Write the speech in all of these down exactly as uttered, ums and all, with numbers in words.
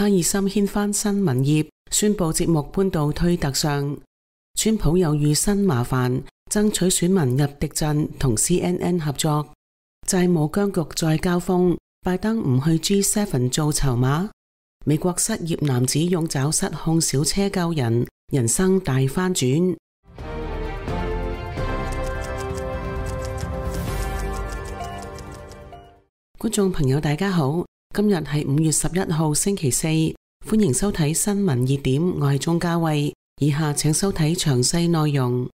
卡爾森掀翻新聞業，宣布節目搬到推特上。川普又遇新麻煩，爭取選民入敵陣同 C N N 合作。債務僵局再交鋒，拜登唔去 G 七 做籌碼。美國失業男子用爪失控小車救人，人生大翻轉。觀眾朋友大家好，今日係五月十一號星期四，歡迎收睇新聞熱點，我係鍾嘉慧，以下請收睇詳細內容。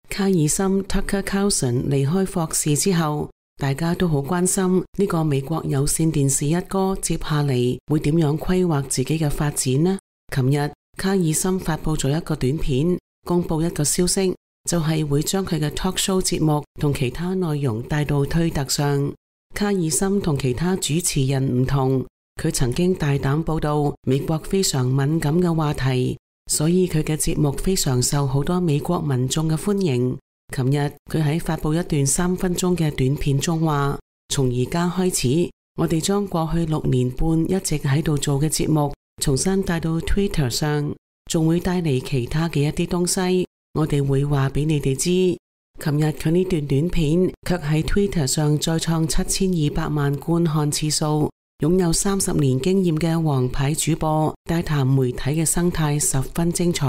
卡爾森 Tucker Carlson 離開霍士之後，大家都好關心呢個美國有線電視一哥接下嚟會點樣規劃自己嘅發展呢？琴日卡爾森發佈咗一個短片，公布一個消息，就係會將佢嘅 talk show 節目同其他內容帶到推特上。卡爾森同其他主持人唔同，佢曾經大膽報道美國非常敏感嘅話題，所以佢嘅節目非常受好多美國民眾嘅歡迎。琴日佢喺發佈一段三分鐘嘅短片中話，從而家開始，我哋將過去六年半一直喺度做嘅節目重新帶到 Twitter 上，仲會帶嚟其他嘅一啲東西。我哋會話俾你哋知。琴日佢呢段短片卻喺 Twitter 上再創七千二百萬觀看次數，擁有三十年經驗嘅王牌主播大談媒體嘅生態十分精彩。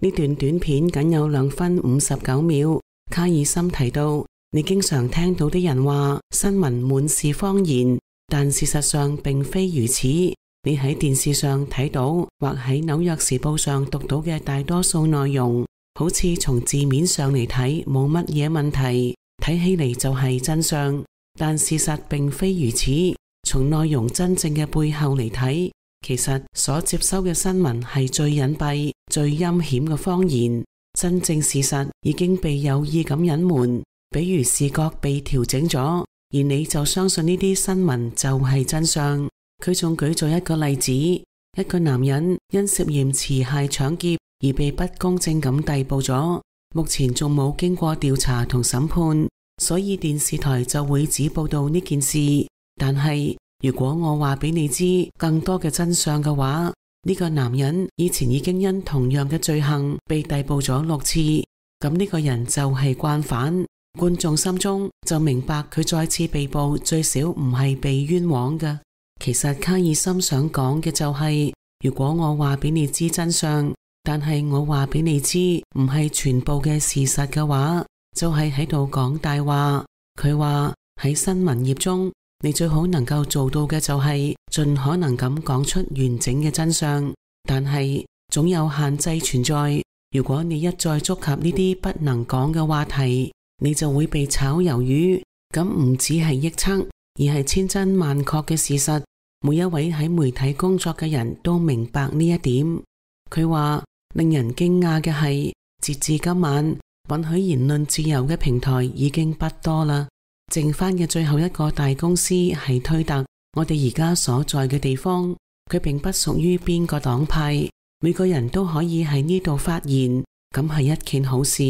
呢段短片僅有兩分五十九秒。卡爾森提到，你經常聽到啲人話新聞滿是謊言，但事實上並非如此。你喺電視上睇到或喺紐約時報上讀到嘅大多數內容，好似從字面上嚟睇冇乜嘢問題，睇起嚟就係真相，但事實並非如此。從內容真正嘅背後嚟睇，其實所接收嘅新聞係最隱蔽、最陰險嘅謊言。真正事實已經被有意咁隱瞞，比如視覺被調整咗，而你就相信呢啲新聞就係真相。佢仲舉咗一個例子，一個男人因涉嫌持械搶劫而被不公正咁逮捕咗，目前仲冇經過調查同審判，所以電視台就會只報道呢件事。但係如果我話俾你知更多嘅真相嘅話，呢個男人以前已經因同樣嘅罪行被逮捕咗六次，咁呢個人就係慣犯。觀眾心中就明白佢再次被捕最少唔係被冤枉嘅。其實卡爾森想講嘅就係，如果我話俾你知真相，但係我話俾你知唔係全部嘅事實嘅話，就係喺度講大話。佢話喺新聞業中，你最好能夠做到嘅就係盡可能咁講出完整嘅真相，但係總有限制存在。如果你一再觸及呢啲不能講嘅話題，你就會被炒魷魚。咁唔只係臆測，而係千真萬確嘅事實。每一位喺媒體工作嘅人都明白呢一點。佢話令人驚訝嘅係，截至今晚，允許言論自由嘅平台已經不多啦。剩翻嘅最後一個大公司係推特，我哋而家所在嘅地方，佢並不屬於邊個黨派，每個人都可以喺呢度發言，咁係一件好事。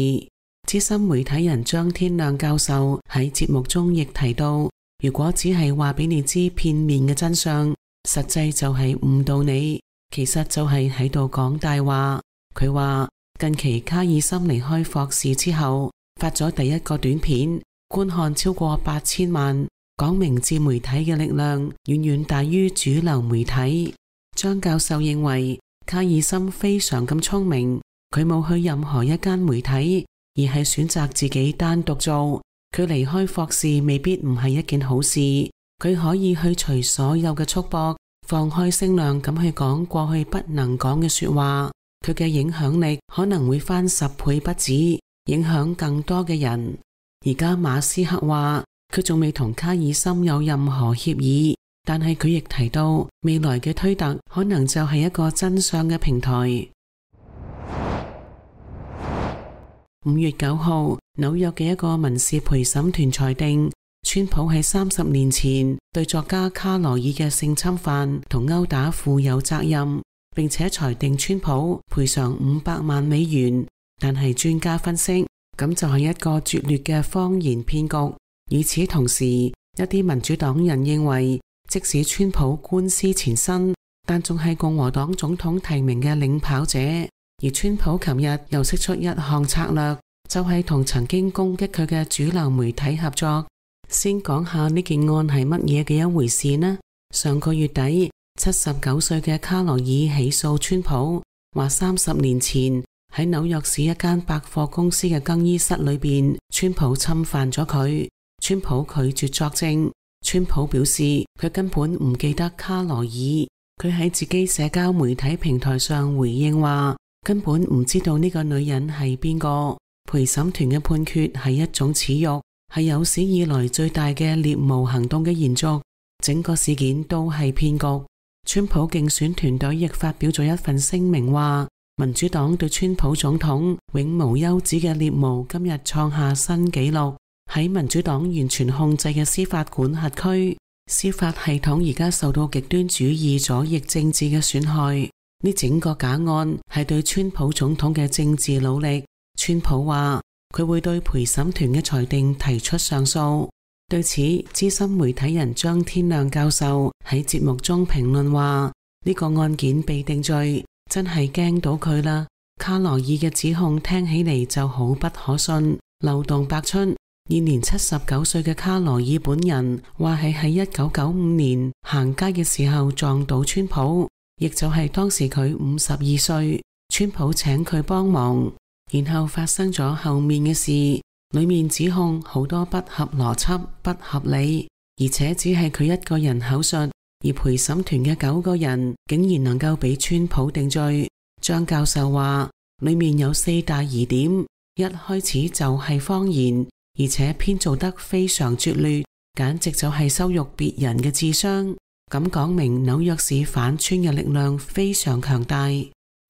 資深媒體人張天亮教授喺節目中亦提到，如果只係話俾你知片面嘅真相，實際就係誤導你，其實就係喺度講大話。佢話近期卡爾森離開霍士之後，發咗第一個短片，觀看超過八千萬，講明自媒體嘅力量遠遠大於主流媒體。張教授認為卡爾森非常咁聰明，佢冇去任何一間媒體，而係選擇自己單獨做。佢離開霍士未必唔係一件好事，佢可以去除所有嘅束縛，放開聲量咁去講過去不能講嘅說話，佢嘅影響力可能會翻十倍不止，影響更多嘅人。而家馬斯克話佢仲未同卡爾森有任何協議，但係佢亦提到未來嘅推特可能就係一個真相嘅平台。五月九號，紐約嘅一個民事陪審團裁定，川普喺三十年前對作家卡羅爾嘅性侵犯同毆打負有責任，並且裁定川普賠償五百萬美元。但係專家分析，咁就係一個拙劣嘅謊言騙局。與此同時，一啲民主黨人認為即使川普官司纏身，但仲係共和黨總統提名嘅領跑者。而川普琴日又釋出一項策略，就係同曾經攻擊佢嘅主流媒體合作。先講下呢件案係乜嘢嘅一回事呢？上個月底，七十九歲嘅卡羅爾起訴川普，話三十年前喺紐約市一間百貨公司嘅更衣室裏邊，川普侵犯咗佢。川普拒絕作證。川普表示佢根本唔記得卡羅爾。佢喺自己社交媒體平台上回應話，根本唔知道呢個女人係邊個。陪審團嘅判決係一種恥辱，係有史以來最大嘅獵巫行動嘅延續。整個事件都係騙局。川普競選團隊亦發表咗一份聲明話，民主黨對川普總統永無休止嘅獵巫今日創下新紀錄。喺民主黨完全控制嘅司法管轄區，司法系統而家受到極端主義左翼政治嘅損害。呢整個假案係對川普總統嘅政治努力。川普話佢會對陪審團嘅裁定提出上訴。對此，資深媒體人張天亮教授喺節目中評論話，呢個案件被定罪，真係驚到佢啦。卡羅爾嘅指控聽起嚟就好不可信，漏洞百出。現年七十九歲嘅卡羅爾本人話係喺一九九五年行街嘅時候撞到川普，亦就係當時佢五十二歲，川普請佢幫忙，然後發生咗後面嘅事，裏面指控好多不合邏輯、不合理，而且只係佢一個人口述，而陪審團嘅九個人竟然能夠俾川普定罪。張教授話，裏面有四大疑點，一開始就係謊言，而且編造得非常拙劣，簡直就係羞辱別人嘅智商。咁講明紐約市反川嘅力量非常強大。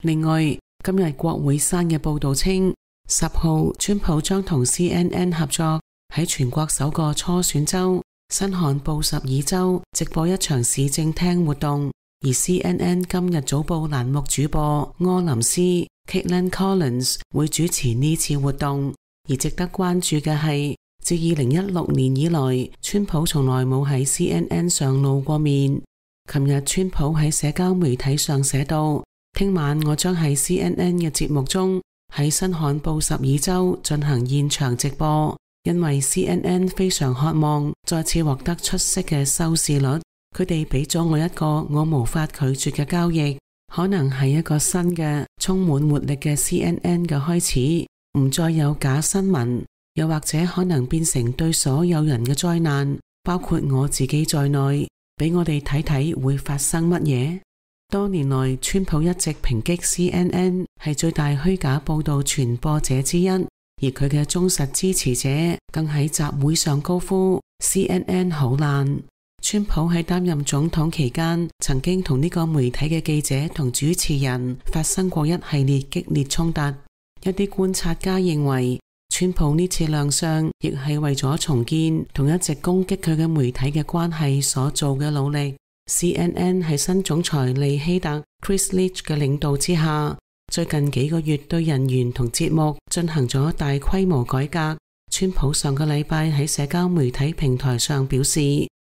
另外，今日國會山嘅報道稱，十號川普將同 C N N 合作，喺全國首個初選州新罕布什爾州直播一場市政廳活動。而 C N N 今日早報欄目主播柯林斯 Caitlin Collins 會主持呢次活動。而值得關注嘅係，自二零一六年以來，川普從來冇喺 C N N 上露過面。琴日川普喺社交媒體上寫道，聽晚我將喺 C N N 嘅節目中喺新罕布什爾州進行現場直播，因為 C N N 非常渴望再次獲得出色嘅收視率。佢哋俾咗我一個我無法拒絕嘅交易，可能係一個新嘅充滿活力嘅 C N N 嘅開始。唔再有假新聞，又或者可能變成對所有人嘅災難，包括我自己在內。俾我哋睇睇會發生乜嘢。多年來，川普一直抨擊 C N N 係最大虛假報道傳播者之一，而佢嘅忠實支持者更喺集會上高呼 C N N 好爛。川普喺擔任總統期間，曾經同呢個媒體嘅記者同主持人發生過一系列激烈衝突。一啲觀察家認為，川普呢次亮相亦係為咗重建同一直攻擊佢嘅媒體嘅關係所做嘅努力。C N N 喺新總裁利希特 Chris Leach 嘅領導之下，最近幾個月對人員同節目進行咗大規模改革。川普上個禮拜喺社交媒體平台上表示，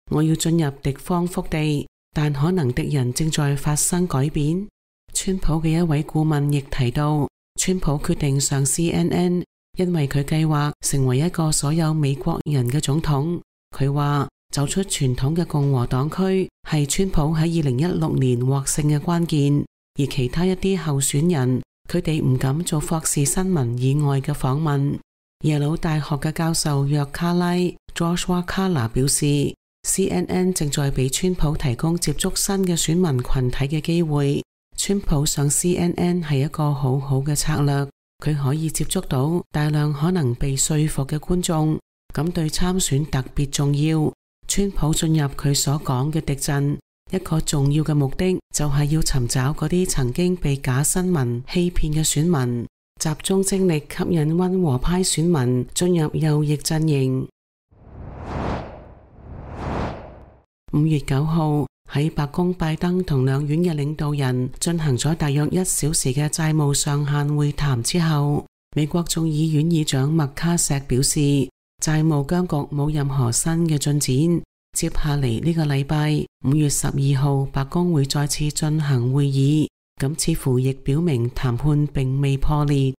我要進入敵方腹地，但可能敵人正在發生改變。川普嘅一位顧問亦提到，川普決定上 C N N， 因為佢計劃成為一個所有美國人嘅總統。佢話走出傳統嘅共和黨區係川普喺二零一六年獲勝嘅關鍵，而其他一啲候選人，佢哋唔敢做霍士新聞以外嘅訪問。耶魯大學嘅教授約卡拉 Joshua Kalla 表示， C N N 正在俾川普提供接觸新嘅選民群體嘅機會。川普上 C N N 係一個好好嘅策略，佢可以接觸到大量可能被說服嘅觀眾，咁對參選特別重要。川普進入佢所講嘅敵陣，一個重要嘅目的就係要尋找嗰啲曾經被假新聞欺騙嘅選民，集中精力吸引溫和派選民進入右翼陣營。五月九號喺白宮，拜登同兩院嘅領導人進行咗大約一小時嘅債務上限會談之後，美國眾議院議長麥卡錫表示，債務僵局冇任何新嘅進展，接下嚟呢個禮拜五月十二號，白宮會再次進行會議，咁似乎亦表明談判並未破裂。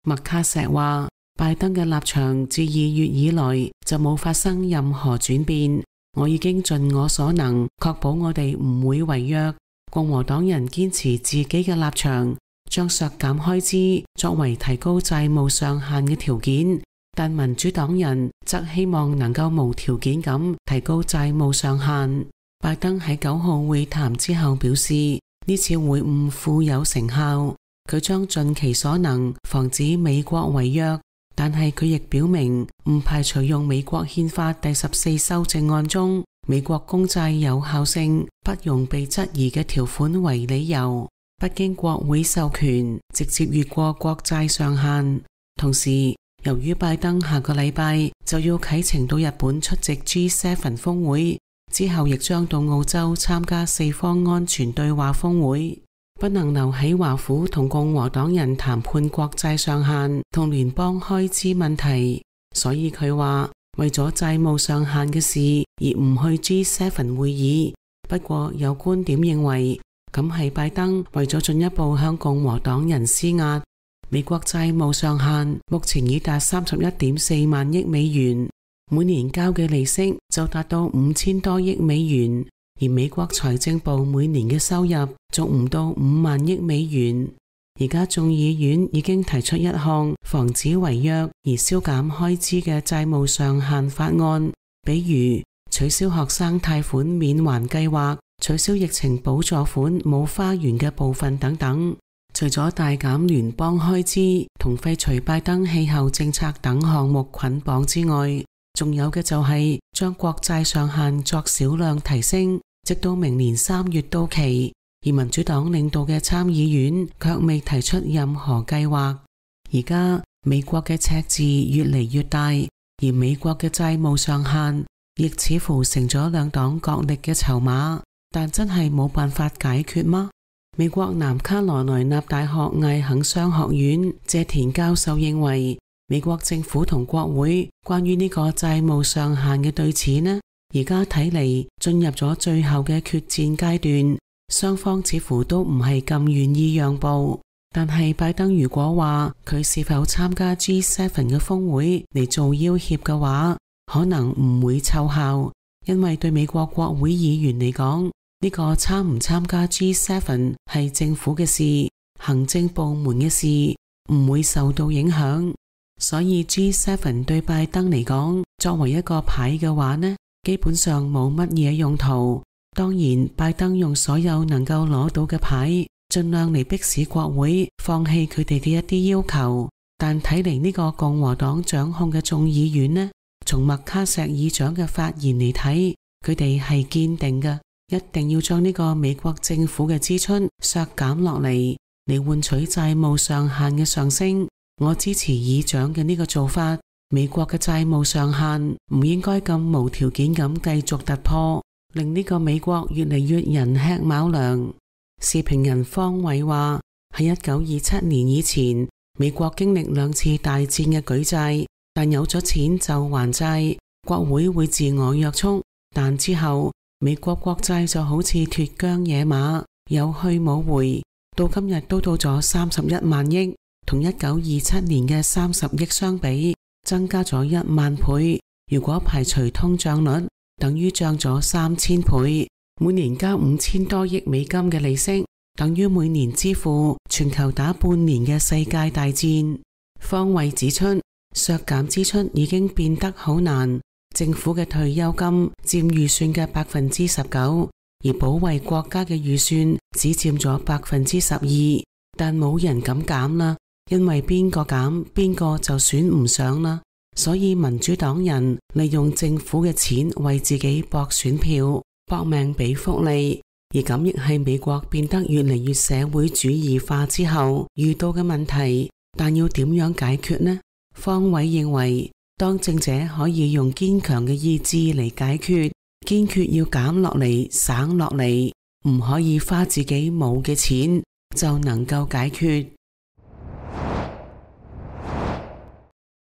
麥卡錫話，拜登嘅立場自二月以來就冇發生任何轉變，我已經盡我所能確保我哋唔會違約。共和黨人堅持自己嘅立場，將削減開支作為提高債務上限嘅條件，但民主黨人則希望能夠無條件咁提高債務上限。拜登喺九號會談之後表示，呢次會晤富有成效，佢將盡其所能防止美國違約，但係佢亦表明唔排除用美國憲法第十四修正案中美國公債有效性不容被質疑嘅條款為理由，不經國會授權直接越過國債上限。同時，由於拜登下個禮拜就要啟程到日本出席 G 七 峰會，之後亦將到澳洲參加四方安全對話峰會，不能留喺華府同共和黨人談判國債上限同聯邦開支問題，所以佢話為咗債務上限嘅事而唔去 G 七 會議。不過有觀點認為，咁係拜登為咗進一步向共和黨人施壓。美國債務上限目前已達三十一點四萬億美元，每年交嘅利息就達到五千多億美元，而美國財政部每年嘅收入仲唔到五萬億美元。而家眾議院已經提出一項防止違約而削減開支嘅債務上限法案，比如取消學生貸款免還計劃、取消疫情補助款冇花園嘅部分等等。除咗大減聯邦開支同廢除拜登氣候政策等項目捆綁之外，仲有嘅就係將國債上限作少量提升，直到明年三月到期。而民主黨領導嘅參議院卻未提出任何計劃。而家美國嘅赤字越嚟越大，而美國嘅債務上限亦似乎成咗兩黨角力嘅籌碼，但真係冇辦法解決嗎？美國南卡羅來納大學艾肯商學院謝田教授認為，美國政府同國會關於呢個債務上限嘅對峙呢，而家睇嚟進入咗最後嘅決戰階段。雙方似乎都唔係咁願意讓步，但係拜登如果話佢是否參加 G 七 嘅峰會嚟做要挾嘅話，可能唔會奏效，因為對美國國會議員嚟講，呢個參唔參加 G 七 係政府嘅事，行政部門嘅事，唔會受到影響。所以 G 七 對拜登嚟講，作為一個牌嘅話呢，基本上冇乜嘢用途。當然，拜登用所有能夠攞到嘅牌，盡量嚟迫使國會放棄佢哋嘅一啲要求。但睇嚟呢個共和黨掌控嘅眾議院呢，從麥卡錫議長嘅發言嚟睇，佢哋係堅定嘅，一定要將呢個美國政府嘅支出削減落嚟，嚟換取債務上限嘅上升。我支持議長嘅呢個做法。美國嘅債務上限唔應該咁無條件咁繼續突破，令呢個美國越嚟越人吃卯糧。時評人方偉話，喺一九二七年以前，美國經歷兩次大戰嘅舉債，但有咗錢就還債，國會會自我約束。但之後，美國國債就好似脫韁野馬，有去冇回，到今日都到咗三十一萬億，同一九二七年嘅三十億相比，增加咗一萬倍。如果排除通脹率，等於漲咗三千倍，每年交五千多億美金嘅利息，等於每年支付全球打半年嘅世界大戰。方偉指出，削減支出已經變得好難，政府嘅退休金佔預算嘅百分之十九，而保衛國家嘅預算只佔咗百分之十二，但冇人敢減啦，因為邊個減邊個就選唔上啦。所以民主黨人利用政府嘅錢為自己博選票，搏命俾福利，而咁亦係美國變得越嚟越社會主義化之後遇到嘅問題。但要點樣解決呢？方偉認為，當政者可以用堅強嘅意志嚟解決，堅決要減落嚟、省落嚟，唔可以花自己冇嘅錢，就能夠解決。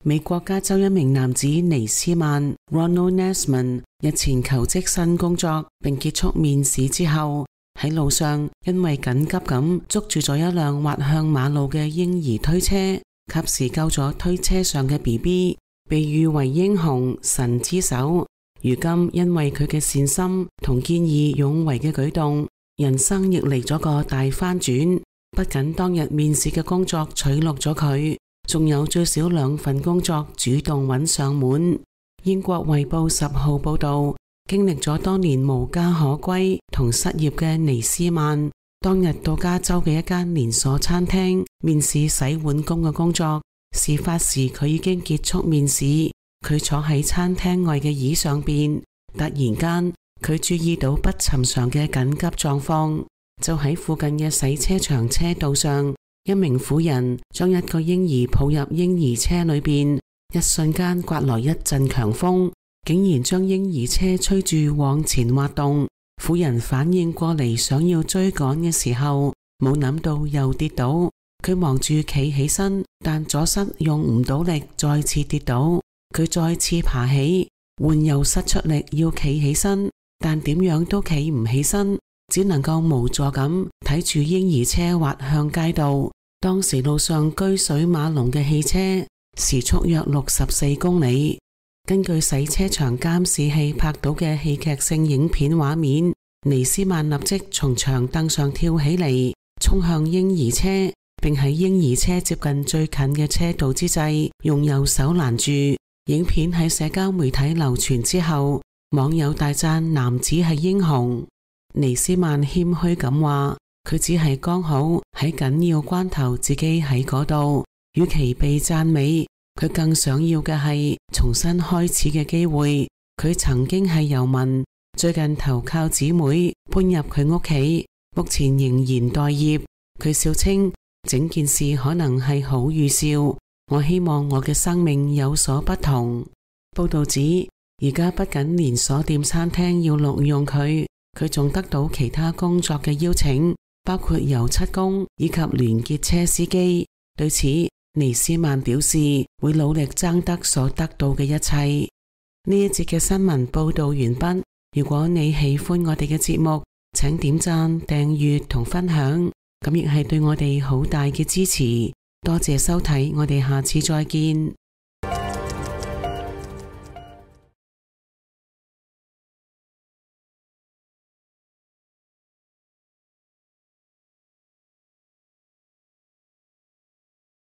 美國加州一名男子尼斯曼 Ronald Nesman 日前求職新工作並結束面試之後，喺路上因為緊急咁捉住咗一輛滑向馬路嘅嬰兒推車，及時救咗推車上嘅 B B， 被譽為英雄神之手。如今因為佢嘅善心同見義勇為嘅舉動，人生亦嚟咗個大翻轉。不僅當日面試嘅工作取錄咗佢，仲有最少兩份工作主動揾上門。英國衛報十號報道，經歷咗多年無家可歸同失業嘅尼斯曼，當日到加州嘅一間連鎖餐廳面試洗碗工嘅工作。事發時佢已經結束面試，佢坐喺餐廳外嘅椅上邊，突然間佢注意到不尋常嘅緊急狀況。就喺附近嘅洗車場車道上，一名婦人將一個嬰兒抱入嬰兒車裏邊，一瞬間颳來一陣強風，竟然將嬰兒車吹住往前滑動。婦人反應過嚟想要追趕嘅時候，冇諗到又跌倒，佢忙住企起身，但左膝用唔到力，再次跌倒。佢再次爬起，換右膝出力要企起身，但點樣都企唔起身，只能夠無助咁睇住嬰兒車滑向街道。當時路上車水馬龍嘅汽車，時速約六十四公里。根據洗車場監視器拍到嘅戲劇性影片畫面，尼斯曼立即從長凳上跳起嚟，衝向嬰兒車，並喺嬰兒車接近最近嘅車道之際，用右手攔住。影片喺社交媒體流傳之後，網友大讚男子係英雄。尼斯曼謙虛咁話，佢只係剛好喺緊要關頭自己喺嗰度，與其被讚美，佢更想要嘅係重新開始嘅機會。佢曾經係遊民，最近投靠姊妹搬入佢屋企，目前仍然待業。佢笑稱整件事可能係好預兆，我希望我嘅生命有所不同。報道指，而家不僅連鎖店餐廳要錄用佢，佢仲得到其他工作嘅邀請，包括油漆工以及連結車司機。對此，尼斯曼表示會努力爭得所得到嘅一切。呢一節嘅新聞報道完畢。如果你喜歡我哋嘅節目，請點讚、訂閱同分享，咁亦係對我哋好大嘅支持。多謝收睇，我哋下次再見。